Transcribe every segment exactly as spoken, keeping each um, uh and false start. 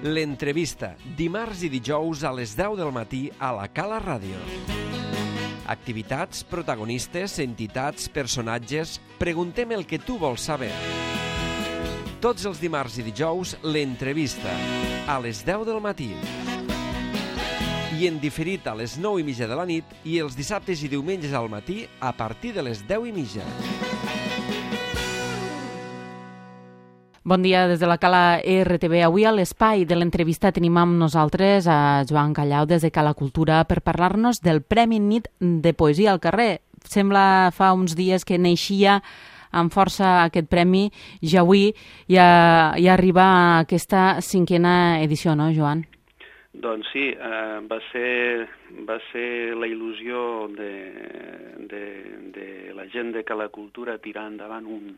L'entrevista, dimarts i dijous a les deu del matí a la Cala Ràdio. Activitats, protagonistes, entitats, personatges... Preguntem el que tu vols saber. Tots els dimarts i dijous, l'entrevista, a les deu del matí. I en diferit a les nou i mitja de la nit i els dissabtes i diumenges al matí a partir de les deu i mitja. Bon dia des de la Cala R T V. Avui a l'espai de l'entrevista tenim amb nosaltres a Joan Callau des de Cala Cultura per parlar-nos del Premi Nit de Poesia al Carrer. Sembla fa uns dies que neixia amb força aquest premi i avui ja, ja arriba a aquesta cinquena edició, no, Joan? Doncs sí, eh, va ser, va ser la il·lusió de, de, de la gent de Cala Cultura tirar endavant un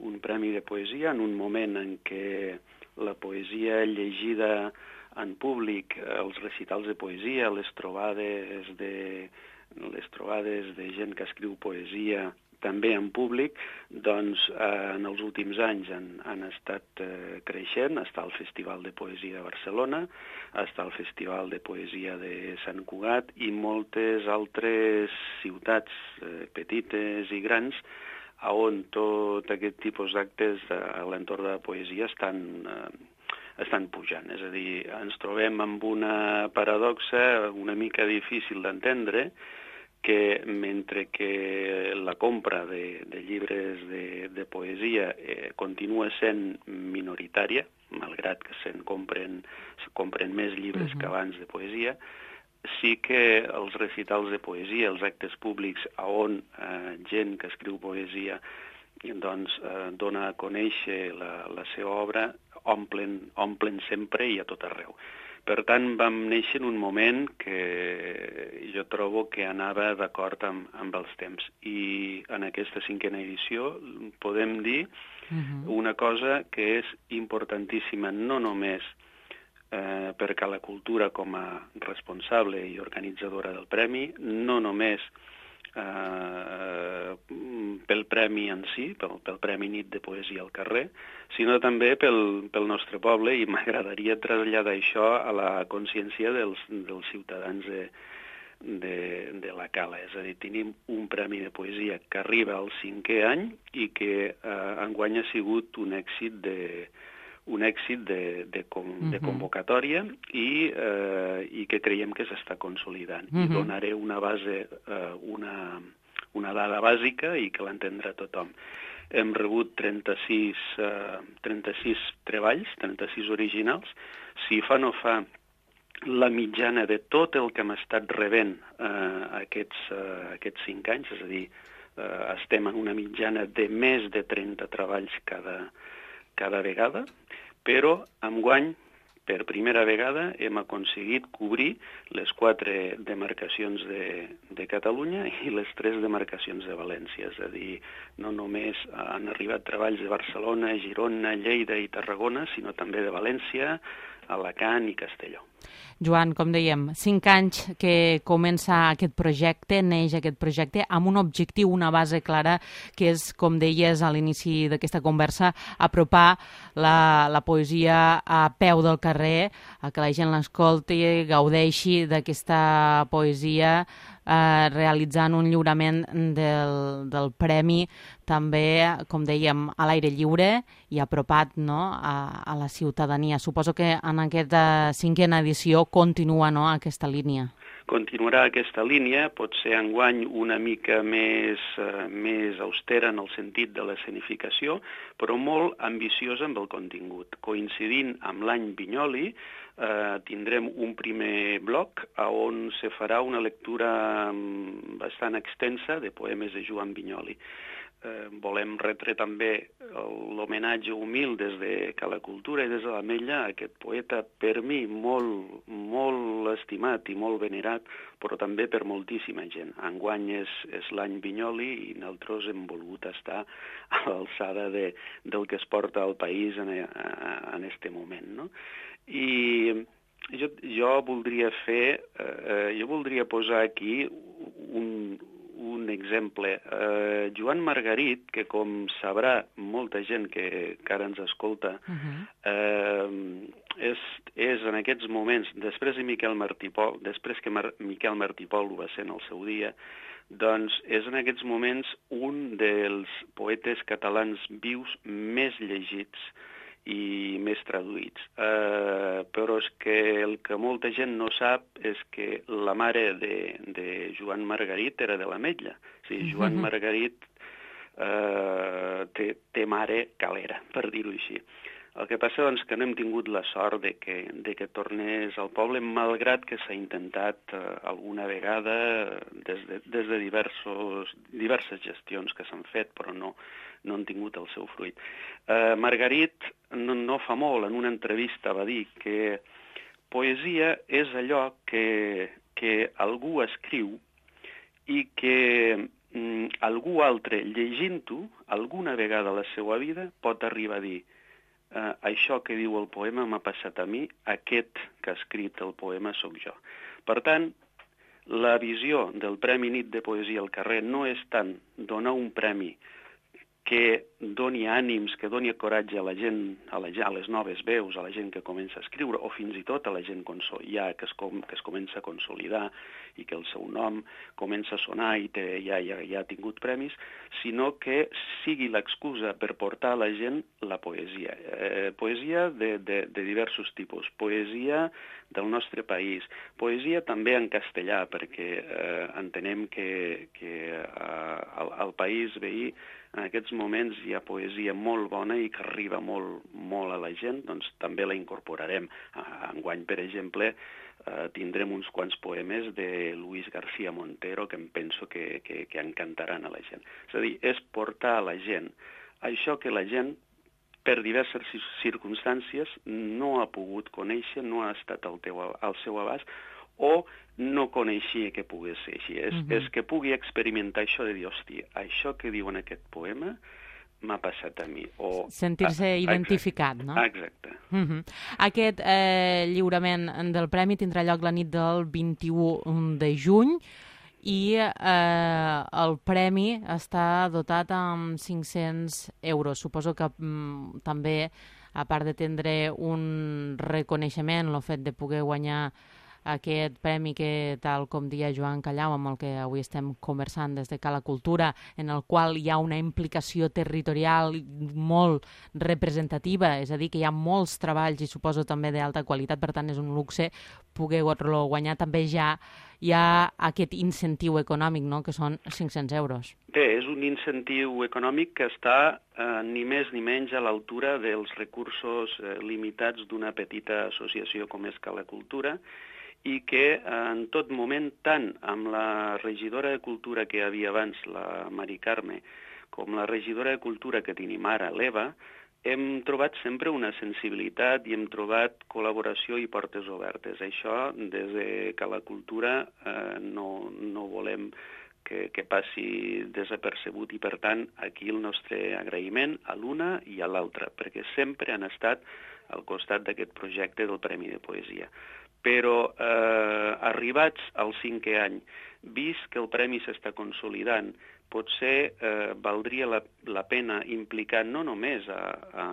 un premi de poesia en un moment en què la poesia llegida en públic, els recitals de poesia, les trobades de, les trobades de gent que escriu poesia també en públic, doncs eh, en els últims anys han, han estat eh, creixent. Està el Festival de Poesia de Barcelona, està el Festival de Poesia de Sant Cugat i moltes altres ciutats eh, petites i grans on tot aquest tipus d'actes a l'entorn de la poesia estan, eh, estan pujant. És a dir, ens trobem amb una paradoxa una mica difícil d'entendre, que mentre que la compra de, de llibres de, de poesia eh, continua sent minoritària, malgrat que se'n compren, se compren més llibres uh-huh. que abans de poesia, sí que els recitals de poesia, els actes públics on eh, gent que escriu poesia doncs, eh, dona a conèixer la, la seva obra, omplen, omplen sempre i a tot arreu. Per tant, vam néixer en un moment que jo trobo que anava d'acord amb, amb els temps. I en aquesta cinquena edició podem dir uh-huh. una cosa que és importantíssima, no només Eh, per Cala Cultura com a responsable i organitzadora del premi, no només eh, pel premi en si, pel, pel Premi Nit de Poesia al Carrer, sinó també pel, pel nostre poble, i m'agradaria traslladar això a la consciència dels, dels ciutadans de, de, de la Cala. És a dir, tenim un premi de poesia que arriba al cinquè any i que eh, enguany ha sigut un èxit de un èxit de, de, com, uh-huh. de convocatòria i, eh, i que creiem que s'està consolidant. Uh-huh. I donaré una base, eh, una, una dada bàsica i que l'entendrà tothom. Hem rebut trenta-sis, eh, trenta-sis treballs, trenta-sis originals. Si fa no fa la mitjana de tot el que hem estat rebent eh, aquests, eh, aquests cinc anys, és a dir, eh, estem en una mitjana de més de trenta treballs cada cada vegada, però enguany, per primera vegada, hem aconseguit cobrir les quatre demarcacions de, de Catalunya i les tres demarcacions de València. És a dir, no només han arribat treballs de Barcelona, Girona, Lleida i Tarragona, sinó també de València, Alacant i Castelló. Joan, com dèiem, cinc anys que comença aquest projecte, neix aquest projecte amb un objectiu, una base clara, que és, com deies a l'inici d'aquesta conversa, apropar la, la poesia a peu del carrer, a que la gent l'escolti, gaudeixi d'aquesta poesia, eh, realitzant un lliurament del, del premi, també, com dèiem, a l'aire lliure i apropat, no?, a, a la ciutadania. Suposo que en aquesta cinquena edició continua, no?, aquesta línia. Continuarà aquesta línia, pot ser enguany una mica més, eh, més austera en el sentit de l'escenificació, però molt ambiciosa amb el contingut. Coincidint amb l'any Vinyoli, eh, tindrem un primer bloc on se farà una lectura bastant extensa de poemes de Joan Vinyoli. Eh, volem retre també l'homenatge humil des de Cala Cultura i des de l'Ametlla a aquest poeta, per mi, molt, molt estimat i molt venerat, però també per moltíssima gent. Enguany és, és l'any Vinyoli i nosaltres hem volgut estar a l'alçada de, del que es porta al país en, en este moment, no? I jo, jo voldria fer, eh, jo voldria posar aquí un un exemple. Eh, Joan Margarit, que com sabrà molta gent que, que ara ens escolta, uh-huh. eh, és, és en aquests moments, després de Miquel Martí Pol, després que Mar Miquel Martí Pol ho va ser en el seu dia, doncs és en aquests moments un dels poetes catalans vius més llegits i més traduïts. Eh, però és que el que molta gent no sap és que la mare de, de Joan Margarit era de l'Ametlla. O sigui, Joan Margarit eh, té, té mare calera, per dir-ho així. El que passa, doncs, que no hem tingut la sort de que, de que tornés al poble, malgrat que s'ha intentat eh, alguna vegada des de, des de diversos, diverses gestions que s'han fet, però no, no han tingut el seu fruit. Eh, Margarit, no, no fa molt, en una entrevista va dir que poesia és allò que, que algú escriu i que mm, algú altre, llegint-ho, alguna vegada a la seva vida, pot arribar a dir Uh, això que diu el poema m'ha passat a mi, aquest que ha escrit el poema sóc jo. Per tant, la visió del Premi Nit de Poesia al carrer no és tant donar un premi que doni ànims, que doni coratge a la gent, a, la, a les noves veus, a la gent que comença a escriure, o fins i tot a la gent ja que es, com, que es comença a consolidar i que el seu nom comença a sonar i té, ja, ja, ja ha tingut premis, sinó que sigui l'excusa per portar a la gent la poesia. Eh, poesia de, de, de diversos tipus. Poesia del nostre país. Poesia també en castellà, perquè eh, entenem que, que eh, al, al país veí en aquests moments hi ha poesia molt bona i que arriba molt, molt a la gent, doncs també la incorporarem. Enguany, per exemple, eh, tindrem uns quants poemes de Luis García Montero que em penso que, que, que encantaran a la gent. És a dir, és portar a la gent això que la gent, per diverses circumstàncies, no ha pogut conèixer, no ha estat al, teu, al seu abast, o no coneixia que pogués ser així. És, uh-huh. és que pugui experimentar això de dir, hòstia, això que diu en aquest poema m'ha passat a mi. O sentir-se ah, identificat, exacte, no? Exacte. Uh-huh. Aquest eh, lliurament del premi tindrà lloc la nit del vint-i-u de juny i eh, el premi està dotat amb cinc-cents euros. Suposo que mm, també, a part de tindre un reconeixement, el fet de poder guanyar aquest premi que, tal com dia Joan Callau, amb el que avui estem conversant des de Cala Cultura, en el qual hi ha una implicació territorial molt representativa, és a dir, que hi ha molts treballs i suposo també d'alta qualitat, per tant és un luxe poder-lo guanyar. També ja hi ha aquest incentiu econòmic, no?, que són cinc-cents euros. Bé, és un incentiu econòmic que està eh, ni més ni menys a l'altura dels recursos eh, limitats d'una petita associació com és Cala Cultura, i que en tot moment, tant amb la regidora de Cultura que hi havia abans, la Mari Carme, com la regidora de Cultura que tenim ara, l'Eva, hem trobat sempre una sensibilitat i hem trobat col·laboració i portes obertes. Això, des de Cala Cultura, eh, no, no volem que, que passi desapercebut i, per tant, aquí el nostre agraïment a l'una i a l'altra, perquè sempre han estat al costat d'aquest projecte del Premi de Poesia. Però eh, arribats al cinquè any, vist que el premi s'està consolidant, potser eh, valdria la, la pena implicar no només a, a,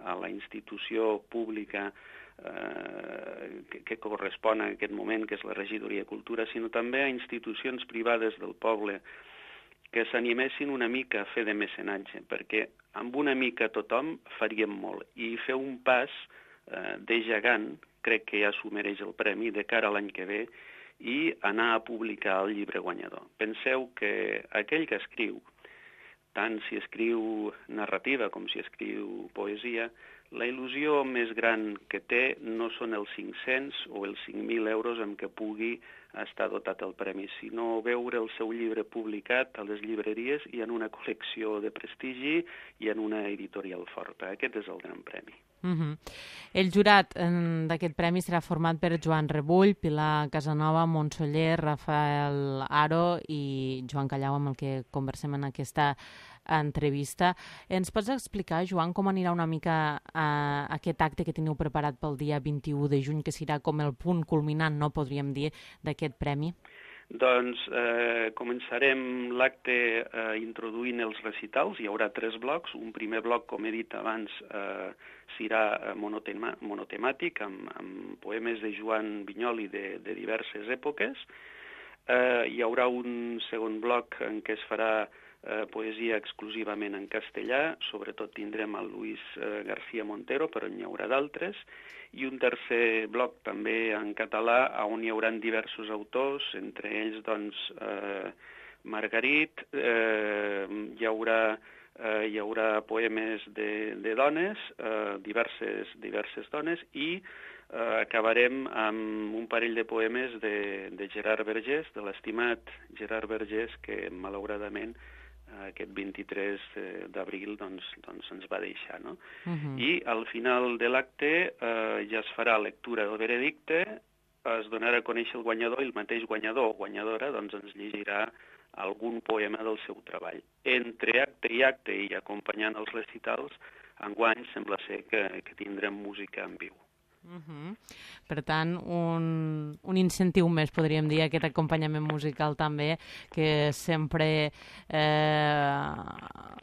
a la institució pública eh, que, que correspon en aquest moment, que és la Regidoria de Cultura, sinó també a institucions privades del poble que s'animessin una mica a fer de mecenatge, perquè amb una mica tothom faríem molt. I fer un pas eh, de gegant, crec que ja s'ho mereix el premi de cara a l'any que ve, i anar a publicar el llibre guanyador. Penseu que aquell que escriu, tant si escriu narrativa com si escriu poesia, la il·lusió més gran que té no són els cinc-cents o els cinc mil euros amb què pugui estar dotat el premi, sinó veure el seu llibre publicat a les llibreries i en una col·lecció de prestigi i en una editorial forta. Aquest és el gran premi. Uh-huh. El jurat d'aquest premi serà format per Joan Rebull, Pilar Casanova, Montsoller, Rafael Aro i Joan Callau, amb el que conversem en aquesta entrevista. Ens pots explicar, Joan, com anirà una mica uh, aquest acte que teniu preparat pel dia vint-i-u de juny, que serà com el punt culminant, no podríem dir, d'aquest premi? Doncs eh, començarem l'acte eh, introduint els recitals. Hi haurà tres blocs. Un primer bloc, com he dit abans, eh, serà monotema monotemàtic, amb, amb poemes de Joan Vinyoli de, de diverses èpoques. Eh, hi haurà un segon bloc en què es farà eh, poesia exclusivament en castellà. Sobretot tindrem el Luis eh, García Montero, però n'hi haurà d'altres. I un tercer bloc també en català, on hi haurà diversos autors, entre ells, doncs, eh, Margarit, eh, hi haurà, eh, hi haurà poemes de, de dones, eh, diverses, diverses dones, i eh, acabarem amb un parell de poemes de, de Gerard Vergés, de l'estimat Gerard Vergés, que malauradament aquest vint-i-tres d'abril doncs, doncs ens va deixar, no? Uh-huh. I al final de l'acte eh, ja es farà lectura del veredicte, es donarà a conèixer el guanyador i el mateix guanyador o guanyadora doncs, ens llegirà algun poema del seu treball. Entre acte i acte i acompanyant els recitals, enguany sembla ser que, que tindrem música en viu. Uh-huh. Per tant, un, un incentiu més, podríem dir, aquest acompanyament musical també, que sempre eh,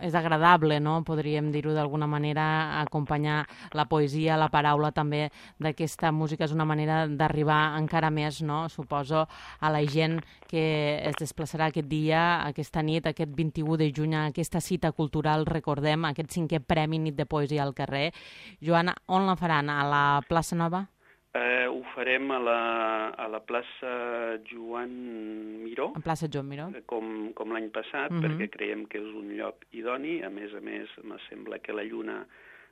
és agradable, no? Podríem dir-ho d'alguna manera, acompanyar la poesia, la paraula també d'aquesta música és una manera d'arribar encara més, no? Suposo, a la gent que es desplaçarà aquest dia, aquesta nit, aquest vint-i-u de juny, aquesta cita cultural, recordem, aquest cinquè Premi Nit de Poesia al Carrer. Joana, on la faran? A la plaça Nova? Eh, ho farem a la, a la plaça Joan Miró, a plaça Joan Miró, com, com l'any passat, uh-huh. perquè creiem que és un lloc idoni. A més a més, me sembla que la lluna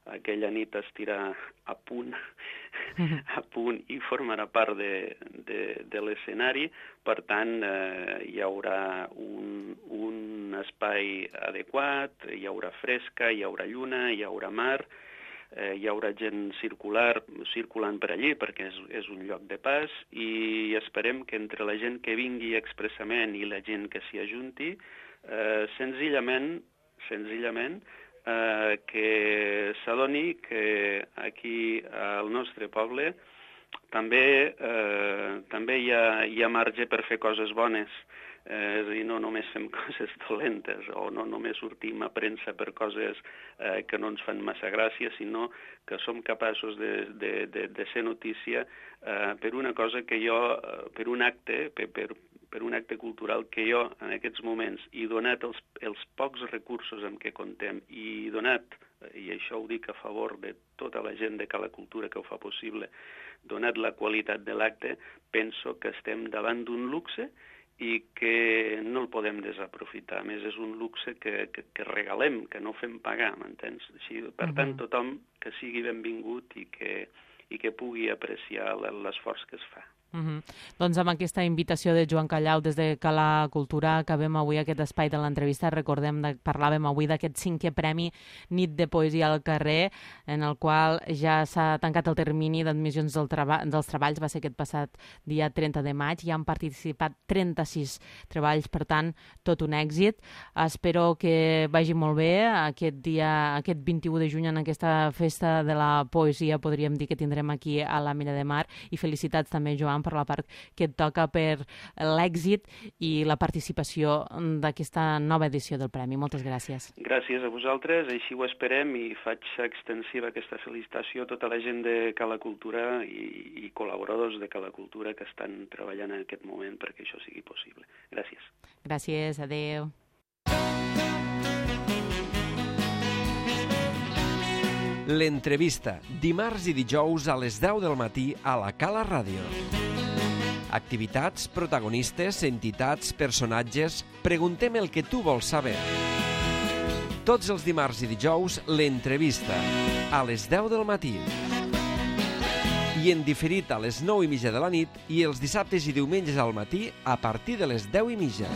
aquella nit estirà a punt, uh-huh. a punt i formarà part de, de, de l'escenari. Per tant, eh, hi haurà un, un espai adequat, hi haurà fresca, hi haurà lluna, hi haurà mar. Eh, hi haurà gent circular, circulant per allí perquè és, és un lloc de pas, i esperem que entre la gent que vingui expressament i la gent que s'hi ajunti, eh, senzillament, senzillament eh, que s'adoni que aquí al nostre poble també, eh, també hi ha, hi ha marge per fer coses bones. Eh, és a dir, no només fem coses dolentes o no només sortim a premsa per coses eh, que no ens fan massa gràcia, sinó que som capaços de, de, de, de ser notícia eh, per una cosa que jo, per un acte, per, per, per un acte cultural que jo en aquests moments, i donat els, els pocs recursos amb què contem, i donat, i això ho dic a favor de tota la gent de Cala Cultura que ho fa possible, donat la qualitat de l'acte, penso que estem davant d'un luxe i que no el podem desaprofitar. A més, és un luxe que, que, que regalem, que no fem pagar, m'entens? Així, per tant, tothom que sigui benvingut i que, i que pugui apreciar l'esforç que es fa. Uh-huh. Doncs amb aquesta invitació de Joan Callau des de Cala Cultura acabem avui aquest espai de l'entrevista. Recordem, de, parlàvem avui d'aquest cinquè Premi Nit de Poesia al Carrer, en el qual ja s'ha tancat el termini d'admissions del treba dels treballs, va ser aquest passat dia trenta de maig, i han participat trenta-sis treballs, per tant, tot un èxit. Espero que vagi molt bé aquest dia, aquest vint-i-u de juny, en aquesta festa de la poesia, podríem dir, que tindrem aquí a la Mira de Mar, i felicitats també, Joan, per la part que et toca per l'èxit i la participació d'aquesta nova edició del Premi. Moltes gràcies. Gràcies a vosaltres, així ho esperem, i faig extensiva aquesta felicitació a tota la gent de Cala Cultura i, i col·laboradors de Cala Cultura que estan treballant en aquest moment perquè això sigui possible. Gràcies. Gràcies, adeu. L'entrevista, dimarts i dijous a les deu del matí a la Cala Ràdio. Activitats, protagonistes, entitats, personatges... Preguntem el que tu vols saber. Tots els dimarts i dijous, l'entrevista, a les deu del matí. I en diferit a les nou i mitja de la nit, i els dissabtes i diumenges al matí a partir de les deu i mitja.